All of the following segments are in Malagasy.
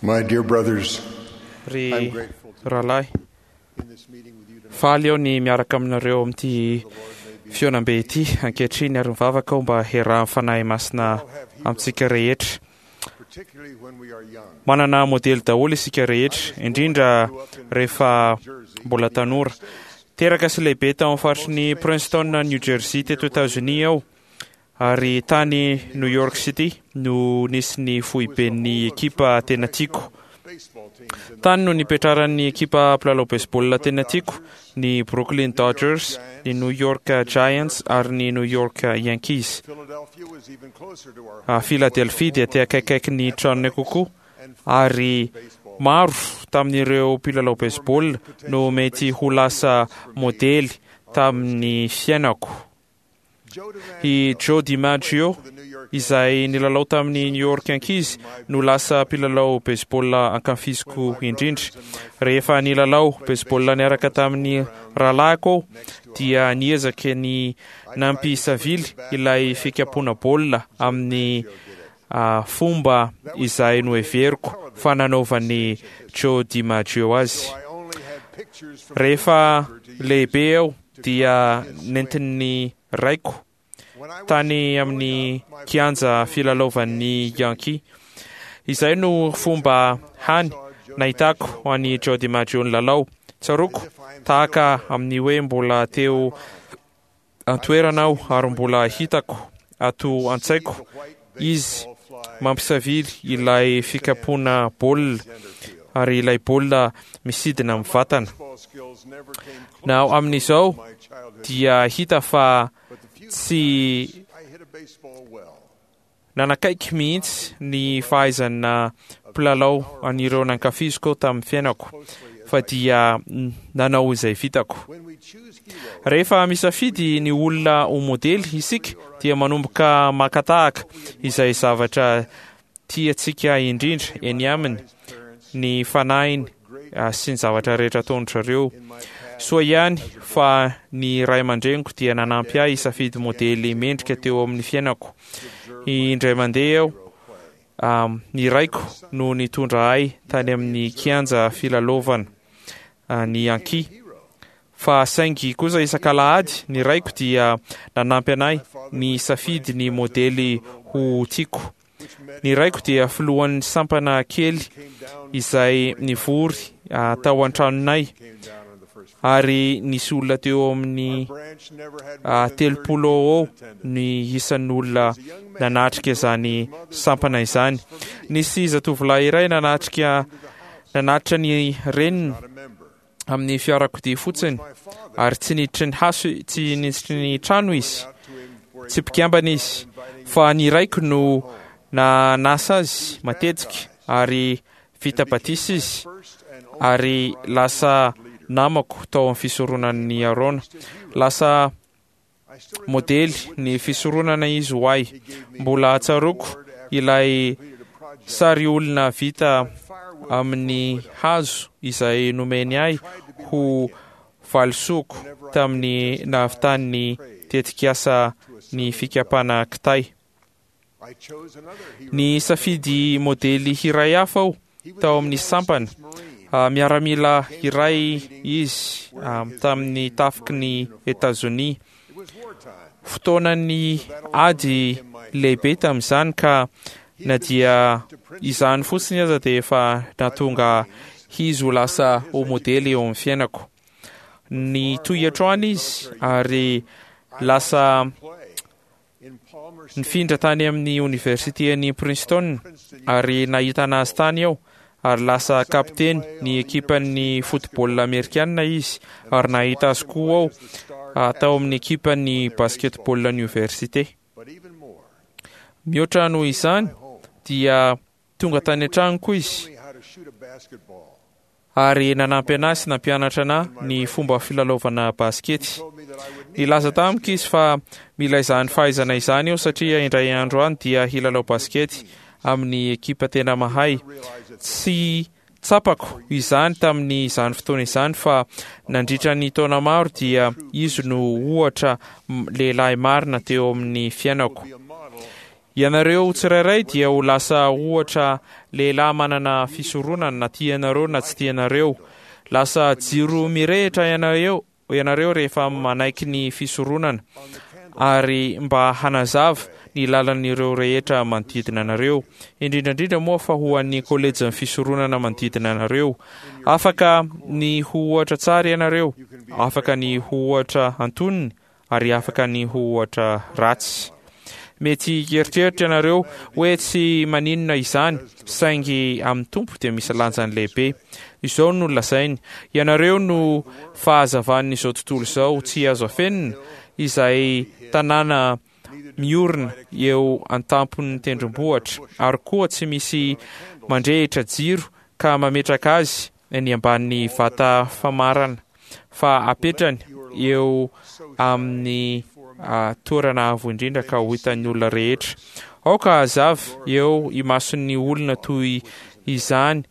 My dear brothers, Ry I'm grateful to rahalahy, be in this meeting with you tonight. faly aho ny miaraka aminareo amin'ity fihaonambe ity ankehitriny ary mivavaka aho mba hiarahan'ny Fanahy Masina amintsika rehetra. Particularly when we are young. Manana modely daholo isika rehetra, indrindra rehefa mbola tanora. Teraka sy lehibe tao amin'ny faritry ny Princeton, New Jersey teto Etazonia aho, ary tany New York City no nisy ny foiben'ny ekipa tena tiako. Baseball teams in the Tany no nipetraran'ny ekipa mpilalao baseball tena tiako, ny Brooklyn Dodgers, ny New York Giants ary ny New York Yankees. Philadelphia was even closer to our Ah, home. Philadelphia dia te akaikaiky ny tranonay kokoa ary maro tamin'ireo mpilalao baseball no mety ho lasa modely tamin'ny fiainako. Joe DiMaggio I Joe DiMaggio for the New York izay nilalao tamin'ny New York Yankees no lasa mpilalao baseball ankafiziko indrindra. Rehefa nilalao baseball niaraka tamin'ny rahalahiko aho dia niezaka ny nampisavily ilay fikapoana baolina amin'ny fomba izay noheveriko fa nanaovan'i Joe DiMaggio azy. So I only had pictures from Rehefa the newspaper to use. lehibe aho dia nentin'ny raiko When I was tany growing amin'ny up, my kianja filalaovan'ny Yankee. Izay no fomba hany nahitako an'i Joe DiMaggio nilalao. Tsaroako tahaka amin'ny hoe mbola teo an-toerana aho ary mbola hitako ato an-tsaiko izy mampisavily ilay fikapoana baolina ary ilay baolina misidina amin'ny vatana. baseball skills never came close Na amin'izao to my childhood, dia hita fa but the few tsy times I hit a baseball well. nanakaiky mihitsy ny fahaizana mpilalao an'ireo nankafiziko tamin'ny fiainako fa dia nanao izay vitako. When we choose heroes, Rehefa misafidy ny olona ho modely isika dia manomboka maka tahaka izay zavatra tiantsika indrindra eny aminy, parents ny fanahiny sy ny zavatra rehetra ataon-dry zareo. in my past Soa ihany fa ny ray aman-dreniko dia nanampy ahy hisafidy modely mendrika teo amin'ny fiainako. Indray mandeha aho, ny raiko no nitondra ahy tany amin'ny kianja filalaovana ny Yankee. Fa saingy kosa isak'alahady ny raiko dia nanampy anahy ny safidy ny modely ho tiako. Ny raiko dia filohan'ny sampana kely came down izay nivory tao an-tranonay came down on the first ary nisy olona teo amin'ny branch never had more than 30 30 eo people in attendance. ny isan'ny olona nanatrika izany sampana izany. Nisy zatovolahy iray nanatrika nanatitra ny reniny Not a member. amin'ny fiarakodia fotsiny My father ary tsy niditry ny haso tsy niditry ny trano izy, out to him for a tsy mpikambana izy fa ny raiko no nanasa azy matetika ary vita batisa izy first and only ary lasa namako tao amin'ny fisoronan'ny Arona. Lasa I still modely ny fisoronana izy ho ahy. Mbola tsaroako ilay completed a project sary olona vita firewood amin'ny hazo izay nomeny ahy ho valisoako tamin'ny nahavitan'ny tetikasa ny fikapana kitay. I chose another hero. Ny safidy modely iray hafa aho He was tao a amin'ny United sampana. States Marine. Miaramila iray izy tamin'ny tafiky ny Etazonia. It was wartime. Fotoanan'ny ady lehibe tamin'izany ka na dia izany fotsiny aza dia efa nahatonga izy ho lasa ho modely eo amin'ny fiainako. Nitohy hatrany izy ary lasa Play in Palmer nifindra tany amin'ny oniversiten'i Princeton Princeton ary nahitana azy tany aho ary lasa kapiteny ny ekipan'ny football amerikana izy ary nahita azy koa aho tao amin'ny ekipan'ny basketball université. but even more. Mihoatra noho izany dia tonga tany an-tranoko izy Only how to shoot a basketball. ary nanampy anahy sy nampianatra anahy ny fomba filalaovana baskety. Told me that I would need Nilaza tamiko izy fa mila izany fahaizana izany eo satria indray andro any dia hilalao baskety amin'ny ekipa tena mahay. realize it Tsy tsapako izany tamin'ny izany fotoana izany fa nandritra ny taona maro dia izy no ohatra lehilahy marina teo amin'ny fiainako. be a model. Ianareo tsirairay dia ho lasa ohatra lehilahy manana fisoronana na tianareo na tsy tianareo. Lasa jiro mirehitra ianareo ianareo rehefa manaiky ny fisoronana ary mba hanazava ny lalan'ireo rehetra manodidina anareo, indrindra indrindra moa fa ho an'ny kolejin'ny fisoronana manodidina anareo. Afaka ny ho ohatra tsara ianareo, afaka ny ho ohatra antonony ary afaka ny ho ohatra ratsy. Mety hieritreritra ianareo hoe tsy maninona izany, saingy amin'ny Tompo dia misy lanjany lehibe. Izao no lazainy, Ianareo no fahazavan'izao tontolo izao tsy azo afenina, izay tanàna miorina eo an-tampon'ny tendrombohitra, ary koa tsy misy mandrehitra jiro ka mametraka azy eny ambanin'ny vata famarana, fa apetrany eo amin'ny toerana avo indrindra ka ho hitan'ny olona rehetra. Aoka hazava eo imason'ny olona toy izany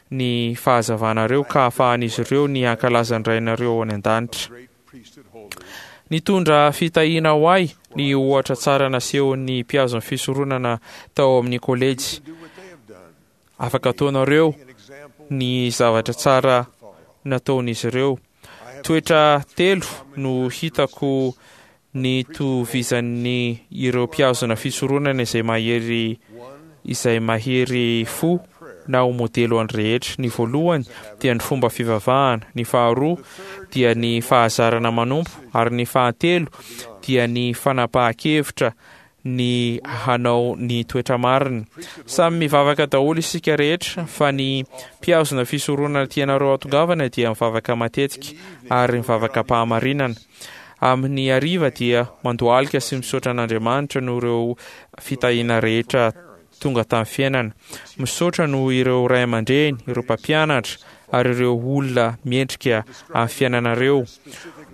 ny fahazavanareo ka hahafahan'izy ireo ny hankalaza ny Rainareo any an-danitra. Nitondra fitahiana ho ahy ny ohatra tsara nasehon'ny mpihazo ny fisoronana tao amin'ny kolejy. Afaka ataonareo ny zavatra tsara nataon'izy ireo. Toetra telo no hitako nitovizan'ny ireo mpihazona fisoronana izay mahery izay mahery fo na ho modely ho an'ny rehetra. Ny voalohany dia ny fomba fivavahana, ny faharoa dia ny fahazarana manompo ary ny fahatelo dia ny fanapahan-kevitra ny hanao ny toetra marina. Samy mivavaka daholo isika rehetra fa ny mpihazona fisoronana tianareo hatongavana dia mivavaka matetika ary mivavaka am-pahamarinana. Amin'ny hariva dia mandohalika sy misaotra an'Andriamanitra noho ireo fitahiana rehetra tonga tamin'ny fiainana. Misaotra noho ireo ray aman-dreny, ireo mpampianatra ary ireo olona mendrika amin'ny fiainanareo.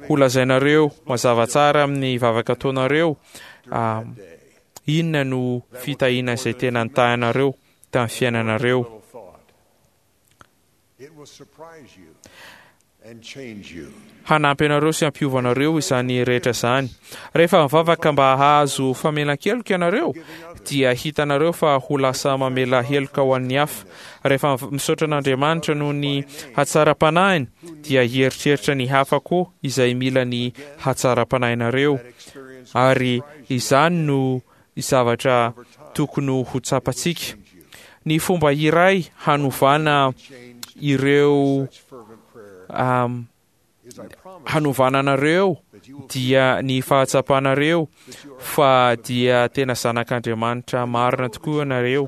Ho lazainareo mazava tsara amin'ny vavaka ataonareo inona no fitahiana izay tena nitahinareo tamin'ny fiainanareo. Hanampy anareo sy hampiova anareo izany rehetra izany. Rehefa mivavaka mba hahazo famelan-keloka ianareo, dia hitanareo fa ho lasa mamela heloka ho an'ny hafa. Rehefa misaotra an'Andriamanitra noho ny hatsaram-panahiny, dia hieritreritra ny hafa koa izay mila ny hatsaram-panahinareo. Ary izany no zavatra tokony ho tsapantsika. Ny fomba iray hanovana ireo um, hanovana anareo dia ny fahatsapanareo fa dia tena zanak'Andriamanitra marina tokoa ianareo.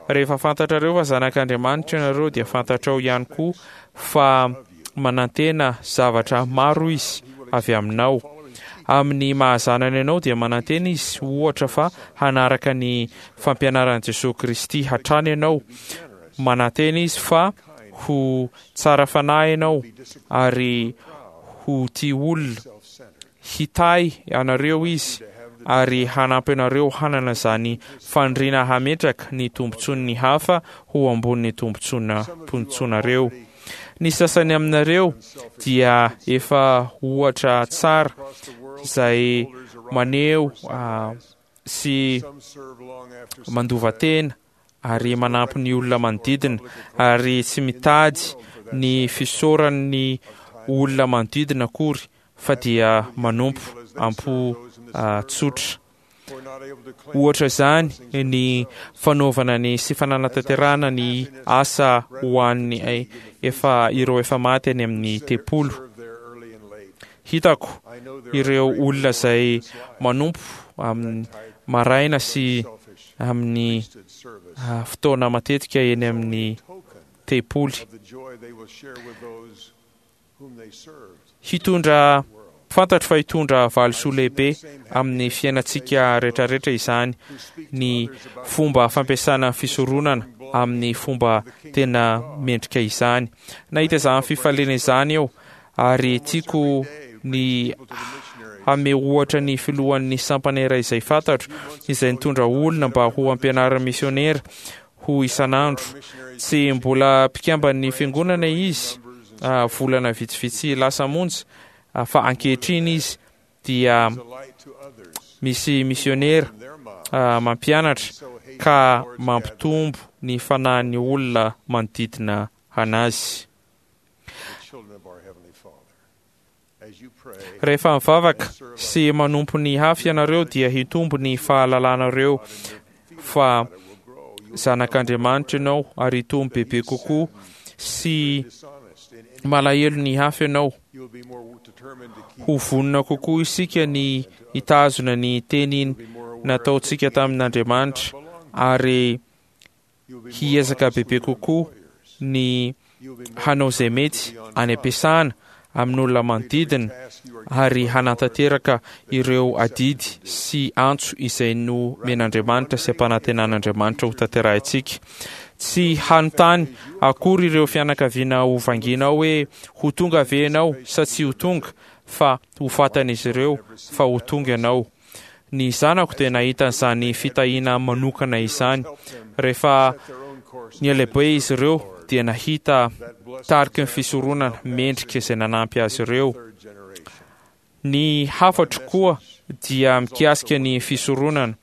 Rehefa fantatrareo fa zanak'Andriamanitra ianareo dia fantatrao ihany koa fa manantena zavatra maro izy avy aminao. Amin'ny maha-zanany anao dia manantena izy ohatra fa hanaraka ny fampianaran'i Jesoa Kristy hatrany ianao. Manantena izy fa ho tsara fanahy ianao ary ho tia olona. Hitahy anareo izy ary hanampy anareo hanana izany faniriana hametraka ny tombontsoan'ny hafa ho ambonin'ny tombontsoanareo. Ny sasany aminareo dia efa ohatra tsara izay maneho sy mandova tena ary manampy ny olona manodidina ary tsy mitady ny fisaoran'ny olona manodidina akory fa dia manompo am-po tsotra. Ohatra izany ny fanaovana ny sy fananatanterahana ny asa ho an'ny efa ireo efa maty any amin'ny tempolo. Hitako ireo olona izay manompo amin'ny maraina sy amin'ny fotoana matetika eny amin'ny tempoly. Hitondra, fantatro fa hitondra valisoa lehibe amin'ny fiainantsika rehetrarehetra izany, ny fomba fampiasana ny fisoronana amin'ny fomba tena mendrika izany. Nahita izany fifaliana izany aho ary tiako ny hanome ohatra ny filohan'ny sampana iray izay fantatro, izay nitondra olona mba ho ampianarin'ny misionera ho isan'andro. Tsy mbola mpikamban'ny Fiangonana izy volana vitsivitsy lasa monja, fa ankehitriny izy dia Misy misionera mampianatra ka mampitombo ny fanahin'ny olona manodidina anazy. Rehefa mivavaka sy manompo ny hafa ianareo dia hitombo ny fahalalanareo fa zanak'Andriamanitra ianao ary hitombo bebe kokoa sy malahelo ny hafa ianao. Ho vonona kokoa isika ny hitazona ny teny nataontsika tamin'Andriamanitra ary hiezaka bebe kokoa ny hanao izay mety any am-piasana, amin'olona manodidina ary hanatanteraka ireo adidy sy antso izay nomen'Andriamanitra sy ampanantenan'Andriamanitra ho tanterahintsika. Tsy hanontany akory ireo fianakaviana ho vangianao hoe ho tonga ve ianao sa tsy ho tonga fa ho fatan'izy ireo fa ho tonga ianao. Ny zanako dia nahita an'izany fitahiana manokana izany. Rehefa nihalehibe izy ireo dia nahita tariky ny fisoronana mendrika izay nanampy azy ireo. Ny hafatro koa dia mikasika ny fisoronana.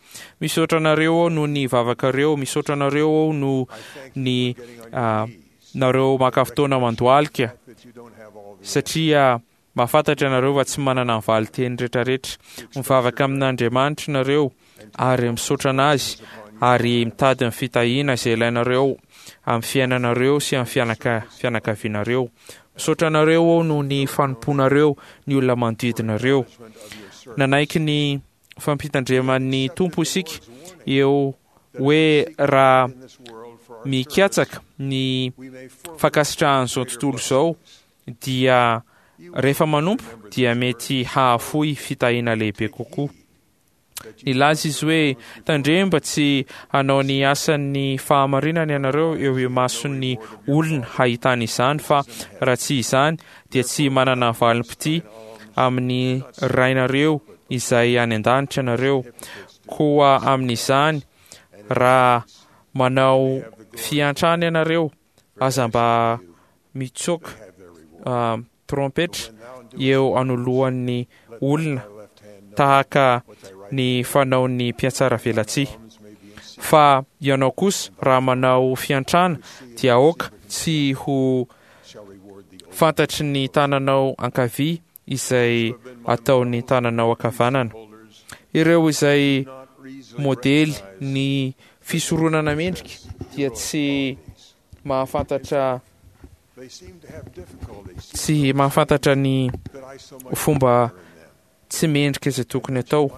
Misaotra anareo aho noho ny vavakareo, misaotra anareo aho noho ny nareo maka fotoana mandohalika satria Mahafantatra ianareo fa tsy manana ny valin-teny rehetrarehetra. Mivavaka amin'Andriamanitra ianareo ary misaotra an'Azy ary mitady ny fitahiana izay ilainareo amin'ny fiainanareo sy amin'ny fianaka, fianakavianareo. Misaotra anareo aho noho ny fanompoanareo ny olona manodidinareo. Nanaiky ny fampitandreman'ny Tompo isika eo hoe raha mikatsaka ny fankasitrahan'izao tontolo izao dia rehefa manompo dia mety hahafoy fitahiana lehibe kokoa. Nilaza izy hoe, Tandremo mba tsy hanao ny asan'ny fahamarinana ianareo eo imason'ny olona hahitany izany, fa raha tsy izany dia tsy manana valim-pitia amin'ny Rainareo izay any an-danitra ianareo. Koa amin'izany, raha manao fiantrana ianareo, aza mba mitsoka trompetra eo anoloan'ny olona tahaka ny fanaon'ny mpihatsaravelatsihy. Fa ianao kosa, raha manao fiantrana, dia aoka tsy ho fantatry ny tananao ankavia izay ataon'ny tananao ankavanana. Ireo izay modely ny fisoronana mendrika dia tsy mahafantatra tsy mahafantatra ny fomba tsy mendrika izay tokony atao.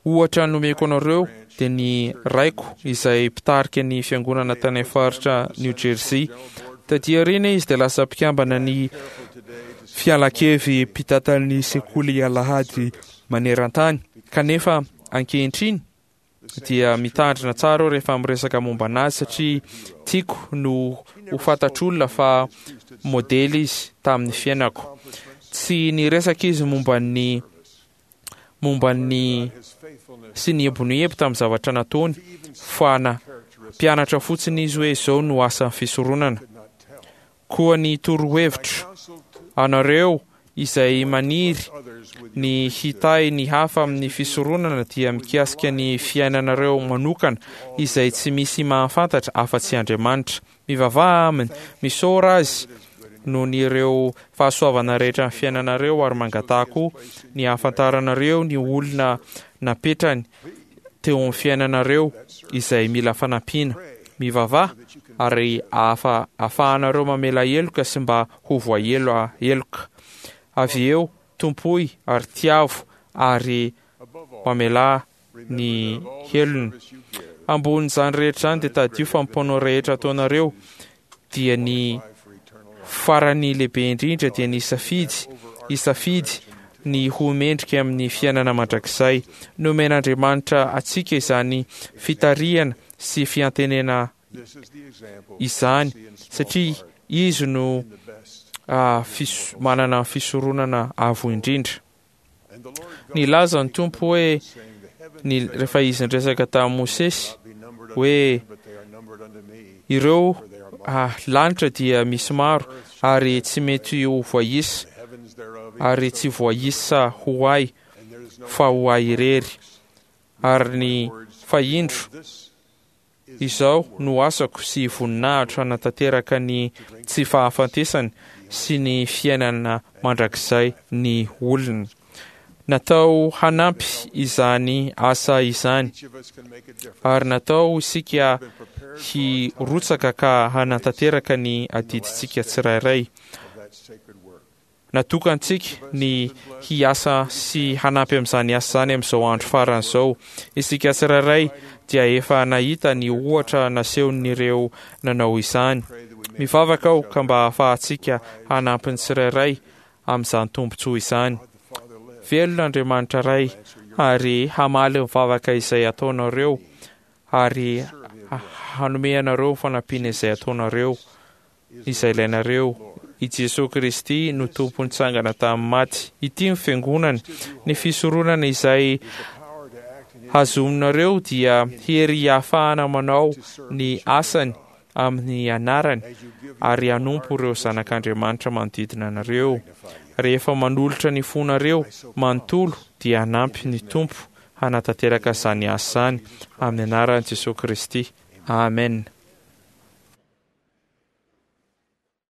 Ohatra nomeko anareo dia ny raiko izay mpitarika ny fiangonana tany amin'ny faritra New Jersey. Taty aoriana izy dia lasa mpikambana ny fialankevy mpitantan'ny sekoly alahady maneran-tany. Kanefa ankehitriny dia mitandrina tsara aho rehefa miresaka momba anazy satria tiako no ho fantatr'olona fa modely izy tamin'ny fiainako. Tsy niresaka izy momba ny momba ny sy niebonoebo tamin'ny zavatra nataony fa na mpianatra fotsiny izy hoe izao no asan'ny fisoronana. Koa ny torohevitro anareo izay maniry ny hitahy ny hafa amin'ny fisoronana dia mikasika ny fiainanareo manokana izay tsy misy mahafantatra afa-tsy Andriamanitra. Mivavaha Aminy, misaora Azy noho ny ireo fahasoavana rehetra amin'ny fiainanareo ary mangataha koa ny hahafantaranareo ny olona napetrany teo amin'ny fiainanareo izay mila fanampiana. Mivavaha ary ahafa ahafahanareo mamela heloka sy mba ho voahelo heloka. Avy eo, tompoy ary tiavo ary mamelà ny helony. Ambonin'izany rehetra izany dia tadidio fa ny mpanao rehetra ataonareo dia ny farany lehibe indrindra dia ny safidy hisafidy ny ho mendrika amin'ny fiainana mandrakizay. Nomen'Andriamanitra antsika izany fitarihana sy fiantenena izany satria Izy no manana ny fisoronana avo indrindra. Nilaza ny Tompo hoe, ny, rehefa Izy niresaka tamin'i Mosesy, hoe, Ireo ah, lanitra dia misy maro, ary tsy mety ho voaisa, ary tsy voaisa ho ahy. fa ho Ahy irery. Ary ny fa indro, izao no asako sy voninahitro hanatanteraka ny tsy fahafatesany sy ny fiainana mandrakizay ny olona. Natao hanampy izany asa izany, ary natao isika hirotsaka ka hanatanteraka ny adidintsika tsirairay. Natokantsika ny hiasa sy hanampy amin'izany asa izany amin'izao andro farany izao. Isika tsirairay dia efa nahita ny ohatra nasehon'ireo nanao izany. Mivavaka aho ka mba hahafahantsika hanampy ny tsirairay amin'izany tombontsoa izany. Velona Andriamanitra Ray ary hamaly ny vavaka izay ataonareo ary hanome anareo ny fanampiana izay ataonareo, izay ilainareo. I Jesoa Kristy no Tompo nitsangana tamin'ny maty. Ity ny Fiangonany. Ny fisoronana izay hazominareo dia hery ahafahana manao ny asany amin'ny anarany ary hanompo ireo zanak'Andriamanitra manodidina anareo. Rehefa manolotra ny fonareo manontolo dia hanampy ny Tompo hanatanteraka izany asa izany amin'ny anaran'i Jesoa Kristy. Amen.